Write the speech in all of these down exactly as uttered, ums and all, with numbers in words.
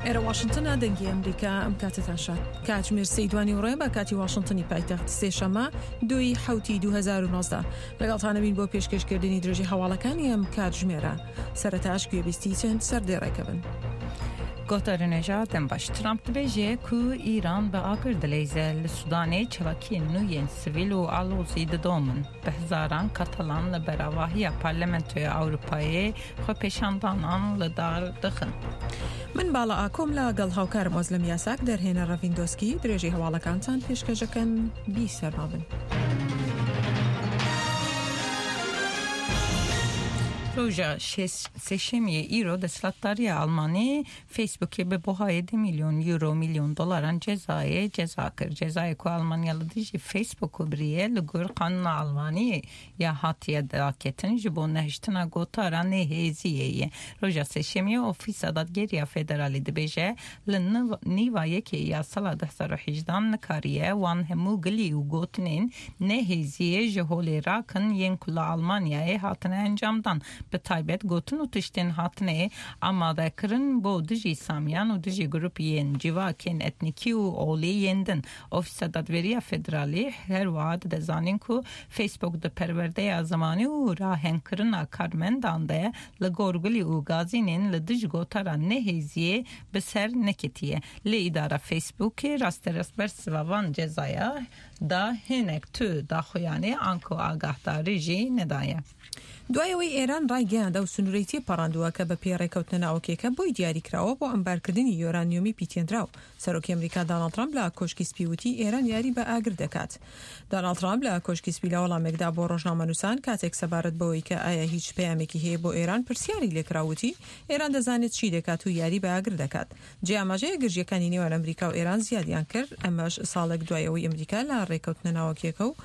ئێرە واشنتنە، دەنگی ئەمریکا. ئەم کاتتان شاد. کاتژمێر سێی دوانی ڕێ بە کاتی واشنتنی پایتەخت، سێشەمە دوی حوتی دوو هەزار و نۆزدە. لەگەڵتانەبین بۆ پێشکەشکردنی درێژی هەواڵەکانی ئەم کاتژمێرە. سەرەتاش گوێبیستی چەند سەردێڕێکە بن. Guhdarên hêja dem baş. Trump dibêje ku Îran bi agir dileyze. Li Sudanê çalakiyên nû yên sivîl û alozî didomin. Bi hezaran Katalan li ber avahiya Parlamentoya Ewropayê xwepêşandanan li dar dixin. من باڵا ئاکۆم لەگەڵ هاوکارم ئۆزلم یاساک، دەرهێنەر ڕەڤیندۆسکی، درێژەی هەواڵەکانتان پێشکەشەکەن. بی سەرمابن. Roja sêşemiyê îro desthilatdariya Almanî Facebookê bi buhayê du milyon euro milyon dolaran cezayê ceza kir. Cezayê ku Almanya li dijî Facebook biriye li gor qanûna Almaniyê ya hatiye daketin ji bo nehiştina gotara nehêziyê ye. Roja sêşemiyê Ofîsa Dadgeriya Federalî dibêje li nîva yekê ya sala du hezar û hejdan nikariye wan hemû gilî û gotinên nehêziyê ji holê rakin yên ku li Almanyayê hatine encamdan. Bi taybet gotin û tiştên hatine amadekirin bo dijî Samiyan û dijî grûpên civakên etnîkî û olî yên din. Ofîsa Dadweriya Federalî her wiha dide zanîn ku Facebook di perwerdeya zimanî û rahengkirina karmendan de li gor gilî û gazînên li dij gotara nehêziyê bi ser neketiye. Lê îdara Facebookê rasterast bersiva van cezaya da hinek tu daxuyanî anku agahdarî jî nedaye. دوای ئەوەی ئێران ڕایگەیاند ئەو سنوورەی تێپەڕاندووە کە بە پێی ڕێکەوتنە ناوکیەکە بۆی دیاریکراوە بۆ ئەمبارکردنی یۆرانیۆمی پیتێنراو، سەرۆکی ئەمریکا داناڵد ترامپ لە کۆشکی سپی وتی ئێران یاری بە ئاگر دەکات. داناڵد ترامپ لە کۆشکی سپی لە وەڵامێکدا بۆ ڕۆژنامەنووسان کاتێک سەبارەت بەوەی کە ئایا هیچ پەیامێکی هەیە بۆ ئێران پرسیاری لێکرا وتی ئێران دەزانێت چی دەکات و یاری بە ئاگر دەکات. جێ ئاماژەیە گرژیەکانی نێوان ئەمریکا و ئێران زیادیان کرد، ئەمەش ساڵێک دوای ئەوەی ئەمریکا لە ڕێکەوتنە ناوکیەکە و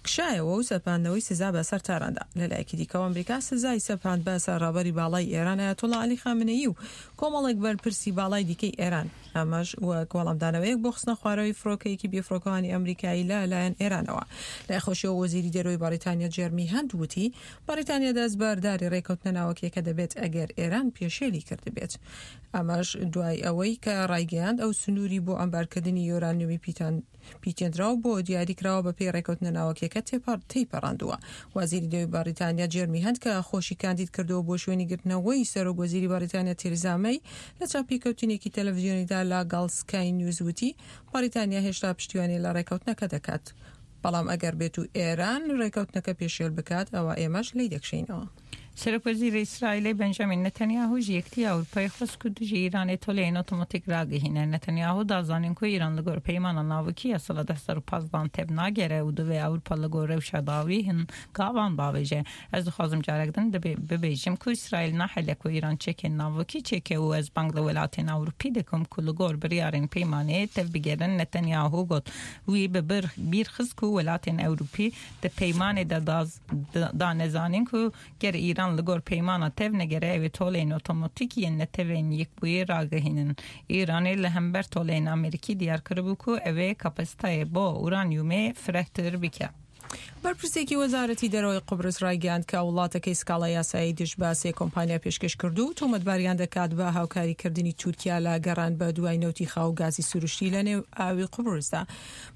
کشایەوە و سەپاندنەوەی سزا بەسەر تاراندا. لەلایەکی دیکەوە ئەمریکا سزای سەپاند بەسەر ڕابەری باڵای ئێران ئایەتوڵا عەلی خامنەیی و کۆمەڵێک بەرپرسی باڵای دیکەی ئێران، ئەمەش وەک وەڵامدانەوەیەک بۆ خستنە خوارەوەی فڕۆکەیەکی بێفڕۆکەوانی ئەمریکایی لە لایەن ئێرانەوە. لای خۆشیەوە وەزیری دەرەوەی بەریتانیا جێرمی هەند وتی بەریتانیا دەستبەرداری ڕێکەوتنە ناوەکیەکە دەبێت ئەگەر ئێران پێشێلی کردبێت، ئەمەش دوای ئەوەی کە ڕایگەیاند ئەو سنووری بۆ ئەمبارکردنی یۆرانیۆمی پیتان پیتێنراو بۆ دیاریکراوە بە پێی ڕێکەوتنە ناوەکیەکە تێیپەڕاندووە. وەزیری دەرەوەی بەریتانیا جێرمی هەند کە خۆشی کاندید کردەوە بۆ شوێنی گرتنەوەی سەرۆک وەزیری بەریتانیا تێریزا مەی، لە چاوپێکەوتنێکی تەلەڤیزیۆنیدا لەگەڵ سکای نیوز وتی بەریتانیا هێشتا پشتیوانی لە ڕێکەوتنەکە دەکات، بەڵام ئەگەر بێت و ئێران ڕێکەوتنەکە پێشێل بکات ئەوە ئێمەش لی دەکشینەوە. Serokwezîrê Îsraîlê Benjamin Netanyahu ji Yekîtiya Ewropayê xwest ku dijî Îranê toleyên otomatîk ragihîne. Netanyahu da zanîn ku Îran li gor peymana navokî ya sala du hezar û pazdeh tev nagere û divê Ewropa li gor rewşa dawî hin gavan bavêje. Ez dixwazim carek din bibêjim ku Îsraîl nahêle ku Îran çekên navokî çêke û ez bang li welatên Ewropî dikim ku li gor biryarên peymanê tev bigerin, Netanyahu got. Wî bi bîr xist ku welatên Ewropî di peymanê de dane zanîn ku ger Îran li gor peymana tev negere ew ê toleyên otomatîk yên Neteweyên Yekbûyî ragihînin. Îranê li hember toleyên Amerîkî diyar kiribû ku ew ê kapasîteyê bo uranyumê firehtir bike. بەرپرسێکی وەزارەتی دەرەوەی قوبرس ڕایگەیاند کە وڵاتەکەی سکاڵای یاسایی دژ بە سێ کۆمپانیا پێشکەش کردو و تۆمەتباریان دەکات بە هاوکاریکردنی تورکیا لە گەڕان بە دوای نەوتی خاو و گازی سروشتی لە نێو ئاوی قوبرسدا.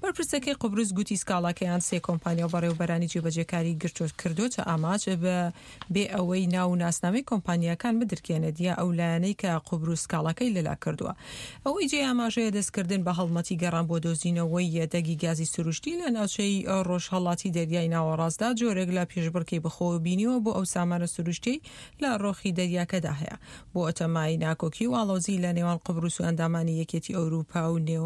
بەرپرسەکەی قوبرس گوتی سکاڵاکەیان سێ کۆمپانیا و بەڕێوەبەرانی جێبەجێکاری گرتۆ کردوتە ئامانج بە بێ ئەوەی ناو و ناسنامەی کۆمپانیاکان بدرکێنێت یا ئەو لایەنەی کە قوبرس سکاڵاکەی لەلا کردووە. ئەوەی جێ ئاماژەیە دەستکردن بە هەڵمەتی گەڕان بۆ دۆزینەوەی یەدەگی گازی سروشتی لە ناوچەی ڕۆژهەڵاتی دەریای ناوەڕاستدا جۆرێک لە پێشبڕکێی بەخۆوە بینیوە بۆ ئەو سامانە سروشتی لە ڕۆخی دەریاکەدا هەیە، بۆتە مایەی ناکۆکی و ئاڵۆزی لە نێوان قوبرس و ئەندامانی یەکێتی ئەوروپا و نێو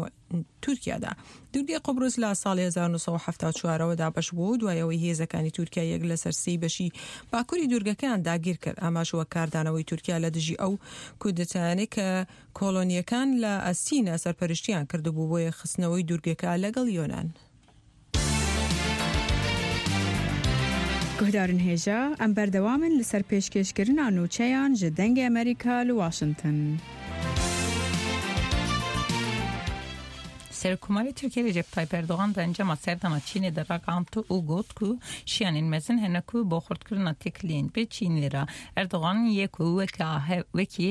تورکیادا. دوورگەی قوبرس لە ساڵی هەزار و نۆ سەد و حەفتا و چوار ەوە دابەش بوو دوای ئەوەی هێزەکانی تورکیا یەک لەسەر سێی بەشی باکووری دوورگەکەیان داگیر کرد، ئەمەش وەک کاردانەوەی تورکیا لە دژی ئەو کودەتایانەی کە کۆلۆنیەکان لە ئەسینا سەرپەرشتیان کردبوو بۆ یەکخستنەوەی دوورگەکە لەگەڵ یۆنان. Guhdarên hêja, em berdewamin li ser pêşkêşkirina nûçeyan ji Dengê Amerîka li Washington. Serokkomarê Tirkiye Recep Tayyip Erdogan di encama serdana Çînê de ragihand û got ku şiyanên mezin hene ku bo xurtkirina têkiliyên bi Çînê re. Erdogan yê ku wekî